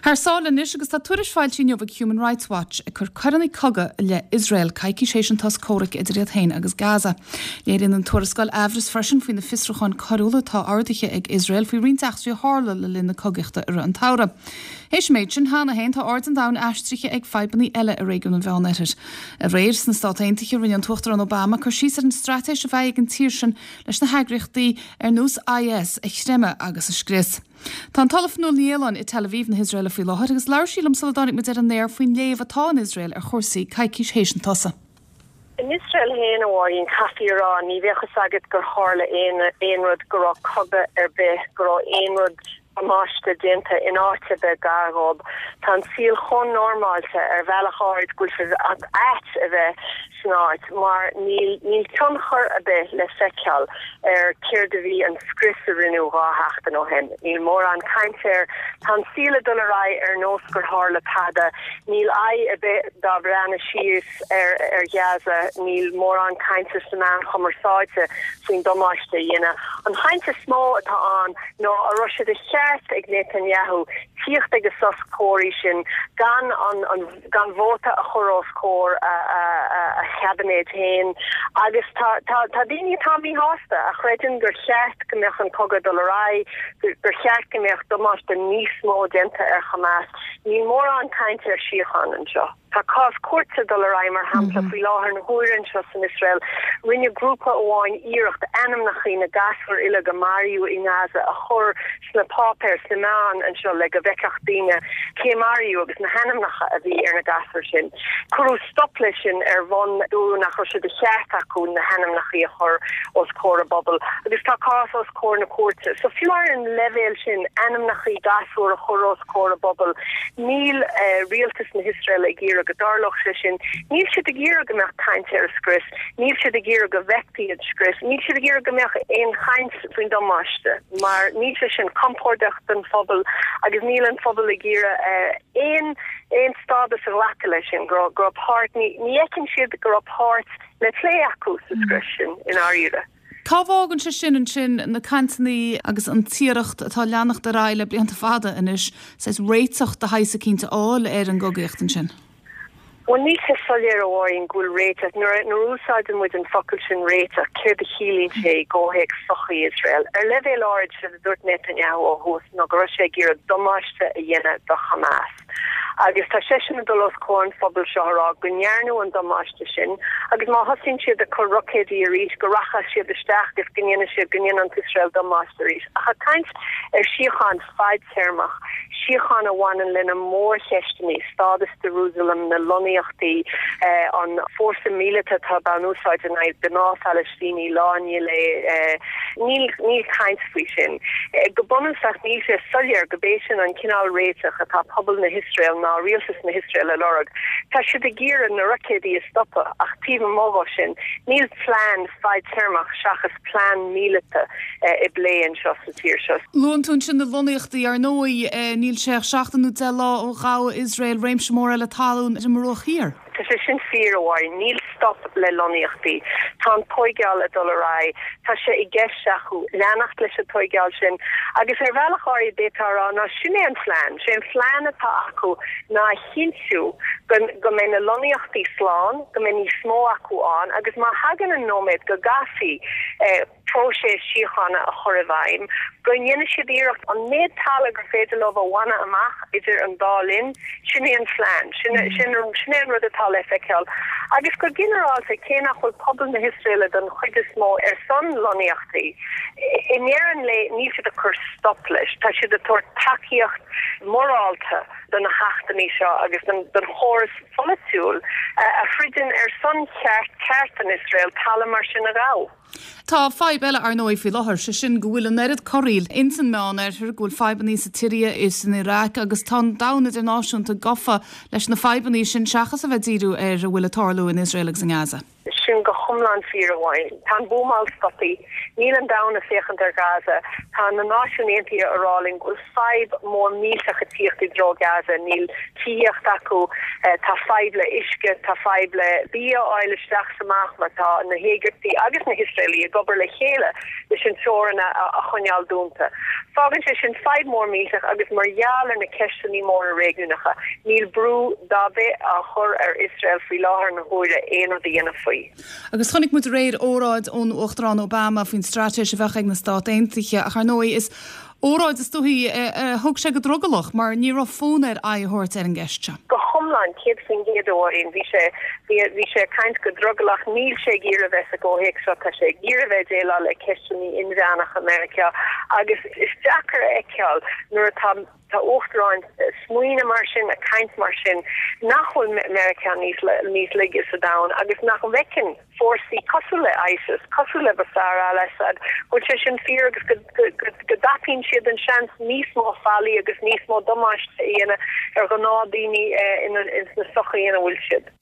Thar sáile anois agus tá tuairisc foilsithe inniu ag Human Rights Watch ag cur coireanna cogaidh i leith Iosrael coicís théis an sos comhraic idir iad féin agus Gaza. Léiríonn an tuarascáil aimhreas freisin faoi na fiosrúcháin coiriúla atá ordaithe ag Iosrael faoi roinnt eachtraí a tharla le linn na cogaíochta i rith an tsamhraidh. Théis an méid sin cheana féin tá aird an domhain aistrithe ag fadhbanna eile i réigiún an Mheánoirthir. Aréir sna Stát Aontaithe rinne an tUachtarán Obama cur síos ar an straitéis a bheidh ag an tír sin leis na heagraíochtaí ar nós IS a chreimeadh agus a scrios. Tá an tOllamh Fionnuala Ní Aoláin i Tel Aviv na hIosraeile faoi láthair agus labhair sí liom sula dtáinig muid ar an aer faoin léamh atá in Iosrael ar chúrsaí coicís théis an tsosa. In Iosrael féin, a Mháirín, caithfí a rá, ní bheadh fhios agat gur tharla aon aon rud, go raibh cogadh ar bith, go raibh aon rud damáiste déanta in áit ar bith gar dhób. Tá an saol chomh normáilte ar bhealach áirid go bhfuil sé ait a bheith san áit mar níl níl tionchar ar bith le feiceáil ar céard a bhí an scrios a rinneadh 2 sheachtain ó shin. Níl mórán cainte air. Tá an saol ag dul ar aghaidh ar nós gur tharla tada. Níl aghaidh ar bith dá breathnú síos ar ar Ghaza. Níl mórán cainte sna meáin chumarsáide faoin damáiste a deineadh. An chaint is mó atá ann ná an raibh sé de cheart ag Netanyahu tíocht ag an sos comhraic sin gan an an gan vóta a chur os comhair a chaibinéid féin agus tá daoine atá míshásta, a chreideann gur cheart go mbeadh an cogadh ag dul ar aghaidh, gur cheart go mbeadh damáiste níos mó déanta ar Hamas. Níl mórán cainte ar síocháin anseo. Tá cás cúirte ag dul ar aghaidh, mar shampla, faoi láthair na huaire anseo san Iosrael. Rinne grúpa amháin iarracht ainmneacha na gasúr uilig a maraíodh i nGaza a chur sna páipéir, sna meáin anseo le go bhfeicfeadh daoine cé maraíodh agus na hainmneacha a bhí ar na gasúir sin. Cuireadh stop leis sin ar bhonn dúradh nach raibh sé de cheart acu na hainmneacha a chur os comhair an phobail agus tá cás os comhair na cúirte. So fiú ar an leibhéal sin, ainmneacha gasúr a chur os comhair an phobail, níl rialtas na hIosraeile ag iarraidh go dtarlódh sé sin. Níl siad ag iarraidh go mbeadh caint ar an scrios, níl siad ag iarraidh go bhfeicfí an scrios, níl siad ag iarraidh go mbeadh aon chaint faoin damáiste mar níl sé sin compordach don phobal agus níl an phobal ag iarraidh aon aon stádas a ghlacadh leis sin, go raibh go raibh páirt, ní ní fheiceann siad go raibh páirt le plé acu sa scrios sin i ndáiríre. Cá bhfágann sé sin ansin na cainteanna agus an t-iarracht atá ag leanacht ar aghaidh le blianta fada anois saghas réiteach de shaghas eicínt a fháil ar an gcogaíocht ansin? Bhuel, níl sé soiléir, a Mháirín, go bhfuil réiteach. Nuair a úsáideann muid an focal sin réiteach, céard a chiallaíonn sé i gcomhthéacs sochaí Iosrael? Ar leibhéal áirid, séard a dúirt Netanyahu ó thús ná go raibh sé ag iarraidh damáiste a dhéanamh do Hamas. Agus tá seisean ag dul os comhair an phobail seo a rá go ndearnadh an damáiste sin agus má thosaíonn siad ag cur roicéidí arís go rachaidh siad isteach agus go ndéanfaidh siad, go ndéanann Iosrael damáiste arís. Ach ag caint ar síocháin fadtéarmach, síocháin a bhaineann lena mórcheisteanna, stádas Jerusalem, na lonnaíochtaí, an fórsa míleata atá á úsáid in aghaidh gnáth-Phalaistínigh lá i ndiaidh lae, níl níl caint faoi sin. Go bunúsach níl sé soiléir go b'é sin an cineál réiteach atá pobal na hIosrael ná rialtas na hIosrael a lorg. Tá siad ag iarraidh na roicéadaí a stopadh ach taobh amuigh dhó sin níl plean fadtéarmach seachas plean míleata i bplé anseo sa tír seo. Luann tú ansin na lonnaíochtaí. Ar ndóigh, níl sé ach seachtain nó 10 lá ó ghabh Iosrael réimse mór eile talún ar an mBruach Thiar. Tá sé sin fíor, a Mháirín. Níl stop le lonnaíochtaí. Tá an tóigeáil ag dul ar aghaidh. Tá sé i gceist acu leanacht leis an tóigeáil sin agus ar bhealach áirid d'fhéadfá a rá ná sin é an phlean. Sé an phlean atá acu ná a chinntiú go go mbeidh na lonnaíochtaí slán, go mbeidh níos mó acu ann agus má thagann an nóiméad go gcaithfí próiseas síochána a chur i bhfeidhm, go ndéanfaidh siad iarracht an méid talaimh gur féidir leo a bhaint amach idir an dá linn. Sin é an phlean. Sin sin sin é an rud atá le feiceáil. Agus go ginearálta, cé nach bhfuil pobal na hIosraeile don chuid is mó ar son lonnaíochtaí, i ndeireadh an lae níl siad ag cur stop leis. Tá siad ag tabhairt tacaíocht mhorálta do na hachtanna seo agus don chóras pholaitiúil a throideann ar son cheart ceart an Iosrael talamh mar sin a ghabh. Tá fadhb eile ar ndóigh faoi láthair, sé sin go bhfuil an oiread corraíl ins an Meán Oirthear, go bhfuil fadhbannaí sa tSiria is san Iaráic agus tá an domhan idirnáisiúnta gafa leis na fadhbannaí sin seachas a bheith ag díriú ar a bhfuil ag tarlú in Iosrael agus i nGaza. Sin go hiomlán fíor, a Mháirín. Tá an buamáil stoptha. Níl an domhan ag féachaint ar Ghaza. Tá na Náisiúin Aontaithe a rá linn go bhfuil fadhb mór millteach ag tíocht i dtreo Gaza. Níl tithíocht acu, tá fadhb le uisce, tá fadhb le bia a fháil isteach is amach mar tá na hÉigiptigh agus na hIosraelaigh ag obair le chéile leis an teorainn a choinneáil dúnta. Fágann sé sin fadhb mór millteach agus mar gheall ar na ceisteanna móra réigiúnacha, níl brú dá bith á chur ar Iosrael faoi láthair na huaire aon rud a dhéanamh faoi. Agus chonaic muid aréir óráid ón Uachtarán Obama faoin straitéis a bheadh ag na Stát Aontaithe ach ar ndóigh is óráid is dóichí a thug sé go drogallach mar ní raibh fonn air aghaidh a thabhairt ar an gceist seo. Go hiomlán, 100% a Mháirín. Bhí sé, bhí, bhí sé ag caint go drogallach. Níl sé ag iarraidh bheith sa gcomhthéacs seo. Tá sé ag iarraidh bheith ag déileáil le ceisteanna inmheánacha Meiriceá agus is deacair a fheiceáil nuair atá, tá uachtaráin ag smaoineamh mar sin, ag caint mar sin, nach bhfuil Meiriceá níos, níos laige sa domhan agus nach bhfeiceann fórsaí cosúil le ISIS, cosúil le Bashar al-Assad, go bhfuil sé sin fíor agus go dtapaíonn siad an seans níos mó faillí agus níos mó damáiste a dhéanamh ar ghnáthdhaoine ins na sochaí ina bhfuil siad.